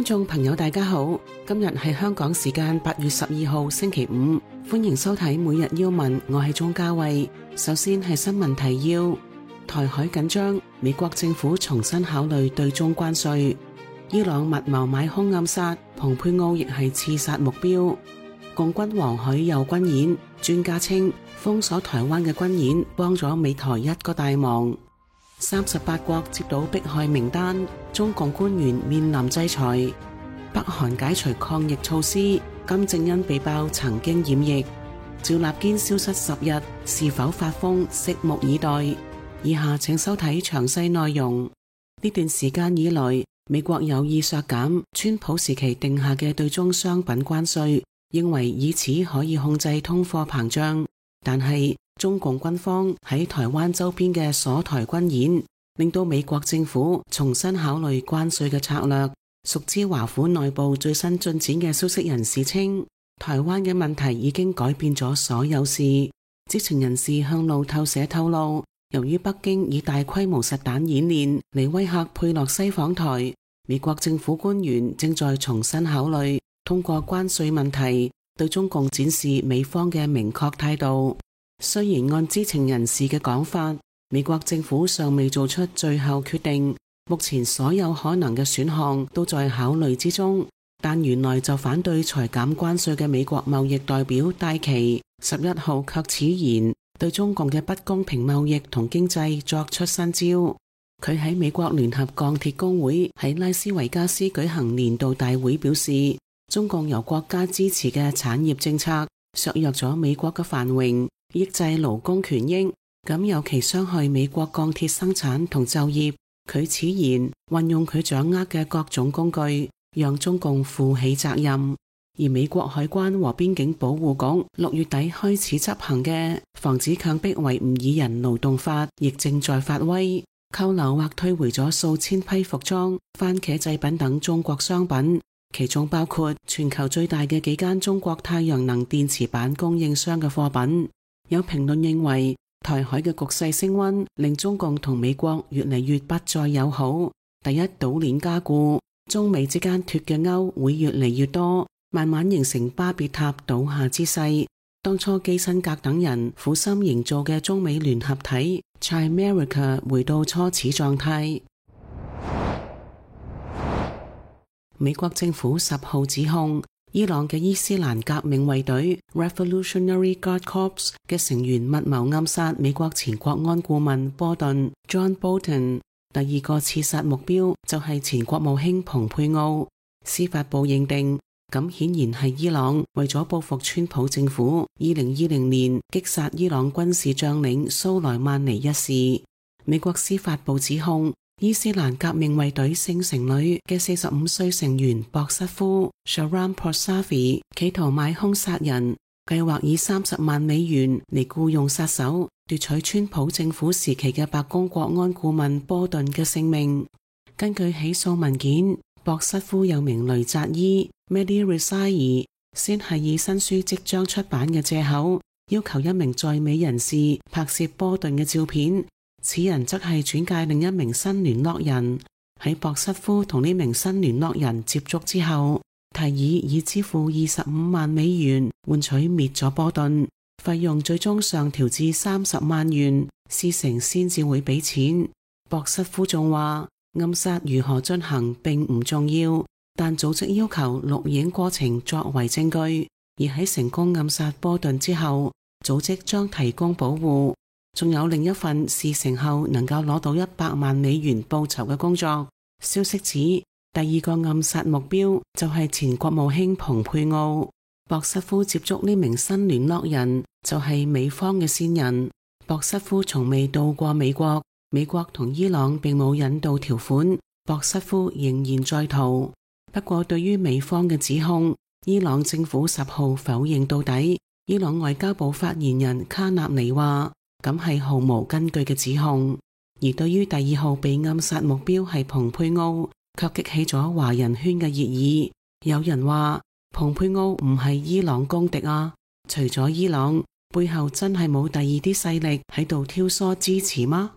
眾朋友大家好，今日係香港時間8月12號星期五，歡迎收睇每日要聞，我係鍾嘉慧。首先係新聞提要：台海緊張，美國政府重新考慮對中關稅；伊朗密謀買兇暗殺，蓬佩奧亦係刺殺目標；共軍黃海又軍演，專家稱封鎖台灣嘅軍演幫咗美台一個大忙。38國接到迫害名單，中共官員面臨制裁。北韓解除抗疫措施，金正恩被爆曾經染疫。趙立堅消失10日，是否發瘋？拭目以待。以下請收睇詳細內容。呢段時間以來，美國有意削減川普時期定下嘅對中商品關稅，認為以此可以控制通貨膨脹。但係中共軍方喺台灣周邊嘅鎖台軍演，令到美國政府重新考慮關稅嘅策略。熟知華府內部最新進展嘅消息人士稱，台灣嘅問題已經改變咗所有事。知情人士向路透社透露，由於北京以大規模實彈演練嚟威嚇佩洛西訪台，美國政府官員正在重新考慮通過關稅問題對中共展示美方嘅明確態度。雖然按知情人士嘅講法，美國政府尚未做出最後決定，目前所有可能嘅選項都在考慮之中，但原來就反對裁減關稅嘅美國貿易代表戴琪11號卻矢言對中共嘅不公平貿易同經濟作出新招。佢喺美國聯合鋼鐵工會喺拉斯維加斯舉行年度大會表示，中共由國家支持嘅產業政策削弱咗美國嘅繁榮，抑制勞工權益，咁尤其傷害美國鋼鐵生產同就業。佢矢言運用佢掌握嘅各種工具，讓中共負起責任。而美國海關和邊境保護局6月底開始執行嘅防止強迫維吾爾人勞動法，亦正在發威，扣留或退回咗數千批服裝、番茄製品等中國商品，其中包括全球最大嘅幾間中國太陽能電池板供應商嘅貨品。有評論認為，台海嘅局勢升溫，令中共同美國越嚟越不再友好。第一島鏈加固，中美之間脫嘅鈎會越嚟越多，慢慢形成巴別塔倒下之勢。當初基辛格等人苦心營造嘅中美聯合體 Chimerica 回到初始狀態。美國政府10號指控伊朗嘅伊斯蘭革命衛隊 Revolutionary Guard Corps 嘅成員密謀暗殺美國前國安顧問波頓 John Bolton。第二個刺殺目標就係前國務卿蓬佩奧。司法部認定，咁顯然係伊朗為咗報復川普政府2020年擊殺伊朗軍事將領蘇萊曼尼一事。美國司法部指控伊斯蘭革命衛隊聖城旅嘅45歲成員博瑟夫 Shahram Poursavi 企圖買兇殺人，計劃以30萬美元嚟僱用殺手，奪取川普政府時期嘅白宮國安顧問波頓嘅性命。根據起訴文件，博瑟夫又名雷扎伊 Mehdi Rezaei， 先係以新書即將出版嘅借口，要求一名在美人士拍攝波頓嘅照片。此人則係轉介另一名新聯絡人。喺博瑟夫同呢名新聯絡人接觸之後，提議以支付25萬美元換取滅咗波頓，費用最終上調至30萬元，事成先至會俾錢。博瑟夫仲話，暗殺如何進行並唔重要，但組織要求錄影過程作為證據，而喺成功暗殺波頓之後，組織將提供保護。仲有另一份事成後能夠攞到100萬美元報酬嘅工作。消息指，第二個暗殺目標就係前國務卿蓬佩奧。博瑟夫接觸呢名新聯絡人就係美方嘅線人。博瑟夫從未到過美國，美國同伊朗並冇引渡條款，博瑟夫仍然在逃。不過對於美方嘅指控，伊朗政府10號否認到底。伊朗外交部發言人卡納尼話，咁係毫無根據嘅指控。而對於第2號被暗殺目標係蓬佩奧，卻激起咗華人圈嘅熱議。有人話蓬佩奧唔係伊朗公敵啊，除咗伊朗，背後真係冇第二啲勢力喺度挑唆支持嗎？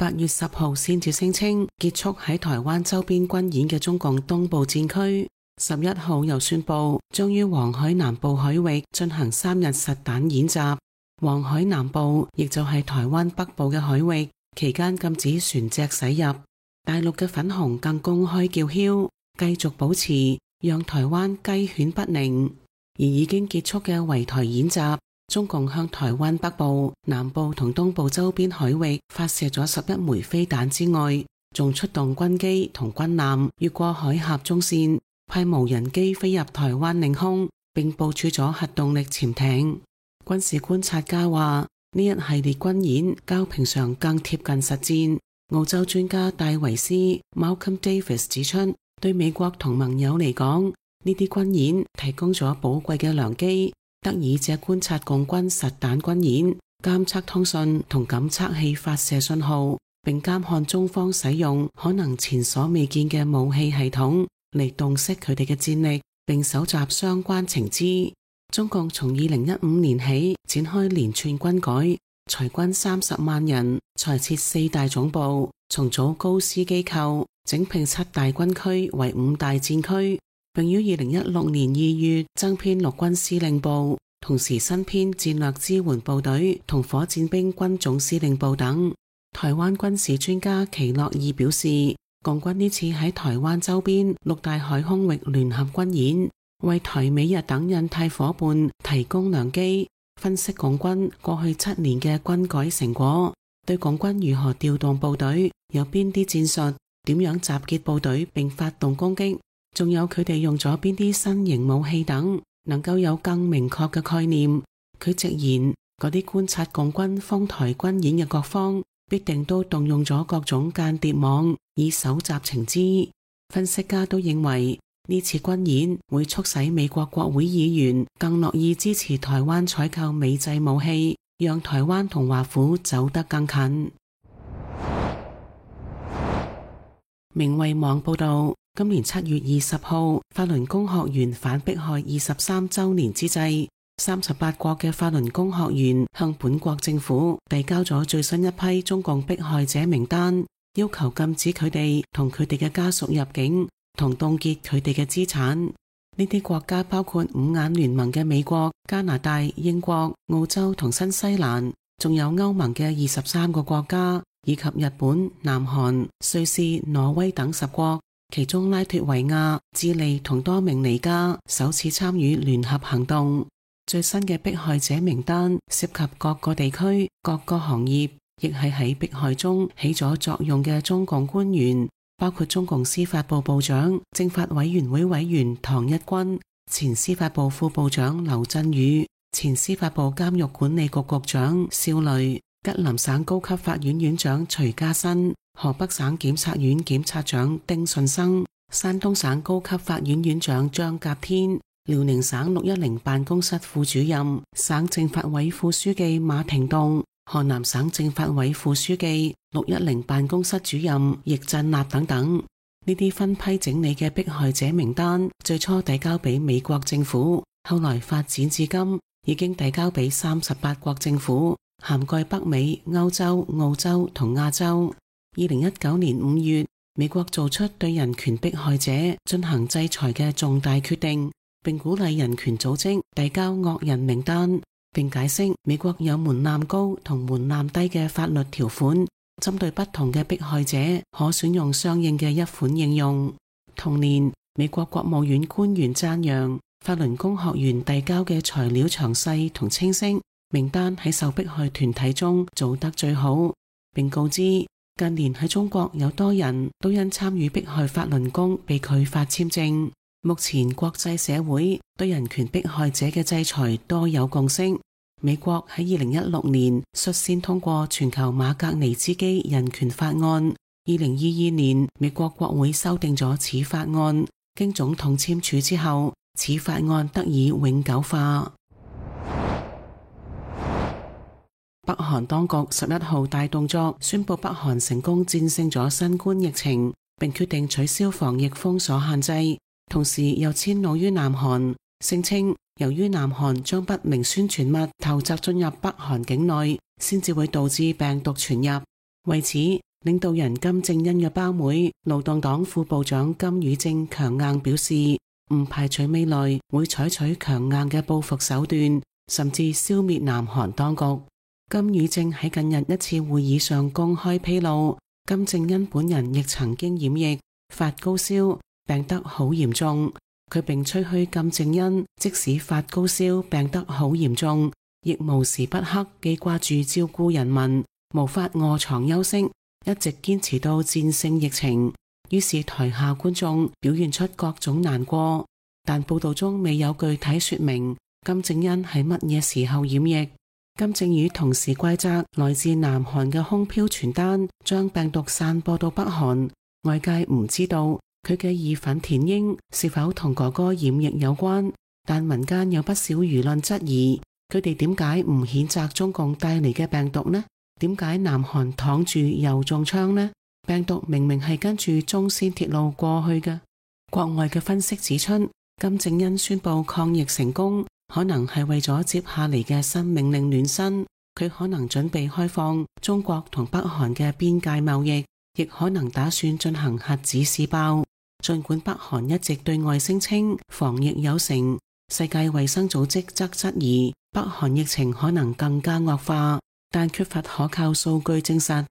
8月10號先至聲稱結束喺台灣周邊軍演嘅中共東部戰區，11號又宣布將於黃海南部海域進行3日實彈演習。黃海南部亦就係台灣北部嘅海域，期間禁止船隻駛入。大陸嘅粉紅更公開叫囂，繼續保持讓台灣雞犬不寧。而已經結束嘅圍台演習，中共向台灣北部、南部同東部周邊海域發射咗11枚飛彈之外，仲出動軍機同軍艦越過海峽中線，派無人機飛入台灣領空，並部署咗核動力潛艇。軍事觀察家話，呢一系列軍演較平常更貼近實戰。澳洲專家戴維斯 Malcolm Davis 指出，對美國同盟友嚟講，呢啲軍演提供咗寶貴嘅良機，得以借觀察共軍實彈軍演，監測通訊同感測器發射信號，並監看中方使用可能前所未見嘅武器系統嚟洞悉佢哋嘅戰力，並搜集相關情資。中共從2015年起展開連串軍改，裁軍30萬人，裁撤4大總部，重組高師機構，整併7大軍區為5大戰區，並於2016年2月增編陸軍司令部，同時新編戰略支援部隊同火箭兵軍總司令部等。台灣軍事專家祁諾義表示，共軍呢次喺台灣周邊6大海空域聯合軍演，為台美日等印太夥伴提供良機，分析共軍過去7年嘅軍改成果，對共軍如何調動部隊，有邊啲戰術，點樣集結部隊並發動攻擊，仲有佢哋用咗邊啲新型武器等，能夠有更明確嘅概念。佢直言，嗰啲觀察共軍封台軍演嘅各方，必定都動用咗各種間諜網，以搜集情資。分析家都認為，呢次軍演會促使美國國會議員更樂意支持台灣採購美製武器，讓台灣同華府走得更近。明衛網報道，今年7月20號，法輪功學員反迫害23週年之際，38國嘅法輪功學員向本國政府遞交咗最新一批中共迫害者名單，要求禁止佢哋同佢哋嘅家屬入境，同凍結佢哋嘅資產。呢啲國家包括五眼聯盟嘅美國、加拿大、英國、澳洲同新西蘭，仲有歐盟嘅23個國家，以及日本、南韓、瑞士、挪威等10國。其中拉脫維亞、智利同多明尼加首次參與聯合行動。最新嘅迫害者名單涉及各個地區、各個行業，亦係喺迫害中起咗作用嘅中共官員，包括中共司法部部長、政法委員會委員唐一軍、前司法部副部長劉振宇、前司法部監獄管理局局長邵雷、吉林省高級法院院長徐家新、河北省檢察院檢察長丁順生、山東省高級法院院長張甲天、遼寧省610辦公室副主任、省政法委副書記馬廷棟、河南省政法委副書記、610辦公室主任易振立等等。呢啲分批整理嘅迫害者名單，最初遞交俾美國政府，後來發展至今，已經遞交俾38國政府，涵蓋北美、歐洲、澳洲同亞洲。2019年5月，美國做出對人權迫害者進行制裁嘅重大決定，並鼓勵人權組織遞交惡人名單，並解釋美國有門檻高同門檻低嘅法律條款，針對不同嘅迫害者可選用相應嘅一款應用。同年，美國國務院官員讚揚法輪功學員遞交嘅材料詳細同清晰，名單喺受迫害團體中做得最好，並告知近年喺中國有多人都因參與迫害法輪功被拒發簽證。目前國際社會對人權迫害者嘅制裁多有共識。美國喺2016年率先通過全球馬格尼茲基人權法案，2022年美國國會修訂咗此法案，經總統簽署之後，此法案得以永久化。北韓當局11號大動作，宣布北韓成功戰勝咗新冠疫情，並決定取消防疫封鎖限制，同時又遷怒於南韓，聲稱由於南韓將不明宣傳物投擲進入北韓境內，先至會導致病毒傳入。為此，領導人金正恩嘅胞妹、勞動黨副部長金與正強硬表示，唔排除未來會採取強硬嘅報復手段，甚至消滅南韓當局。金與正喺近日一次會議上公開披露，金正恩本人亦曾經染疫，發高燒，病得好嚴重。佢並吹噓金正恩即使發高燒病得好嚴重，亦無時不刻記掛住照顧人民，無法臥床休息，一直堅持到戰勝疫情。於是台下觀眾表現出各種難過，但報道中未有具體說明金正恩喺乜嘢時候染疫。金正宇同時怪責來自南韓嘅空飄傳單將病毒散播到北韓，外界唔知道佢嘅義憤填膺是否同哥哥染疫有關，但民間有不少輿論質疑，佢哋點解唔譴責中共帶嚟嘅病毒呢？點解南韓躺住又中槍呢？病毒明明係跟住中線鐵路過去嘅。國外嘅分析指出，金正恩宣布抗疫成功，可能係為咗接下嚟嘅新命令暖身。佢可能準備開放中國同北韓嘅邊界貿易，亦可能打算進行核子試爆。儘管北韓一直對外聲稱防疫有成，世界衛生組織則質疑北韓疫情可能更加惡化，但缺乏可靠數據證實。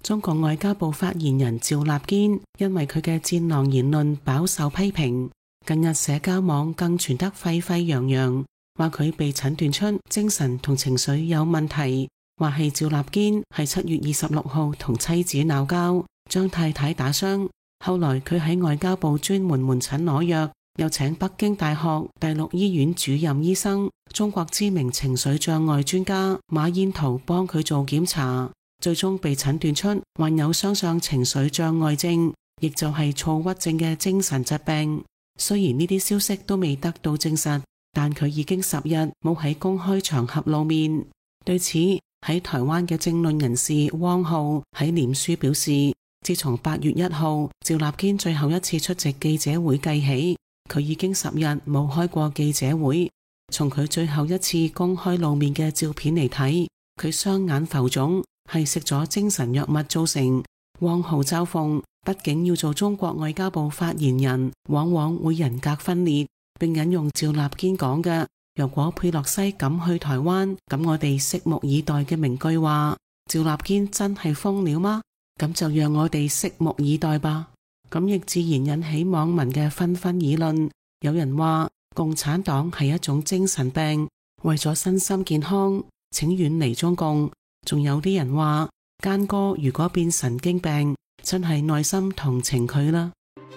中國外交部發言人趙立堅因為佢嘅戰狼言論飽受批評，近日社交網更傳得沸沸揚揚，話佢被診斷出精神同情緒有問題，話係趙立堅喺7月26號同妻子鬧交，將太太打傷，後來佢喺外交部專門門診攞藥，又請北京大學第6醫院主任醫生、中國知名情緒障礙專家馬燕圖幫佢做檢查，最終被診斷出患有雙相情緒障礙症，亦就係躁鬱症嘅精神疾病。雖然呢啲消息都未得到證實，但佢已經10日冇喺公開場合露面。對此，喺台灣嘅政論人士汪浩喺臉書表示，自從8月1號趙立堅最後一次出席記者會計起，佢已經10日冇開過記者會。從佢最後一次公開露面嘅照片嚟睇，佢雙眼浮腫，係食咗精神藥物造成。汪浩嘲諷，畢竟要做中國外交部發言人，往往會人格分裂，並引用趙立堅講嘅如果佩洛西敢去台灣，咁我哋拭目以待嘅名句話。趙立堅真係瘋了嗎？咁就讓我哋拭目以待吧。咁亦自然引起網民嘅紛紛議論。有人話共產黨係一種精神病，為咗身心健康，請遠離中共。仲有啲人話奸哥如果變神經病，真係內心同情佢啦。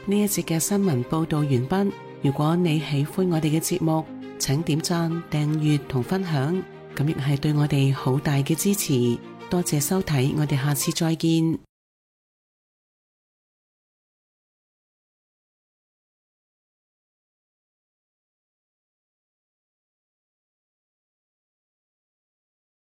呢一節嘅新聞報道完畢。如果你喜歡我哋嘅節目，請點讚、訂閱同分享，咁亦係對我哋好大嘅支持。多謝收睇，我哋下次再見。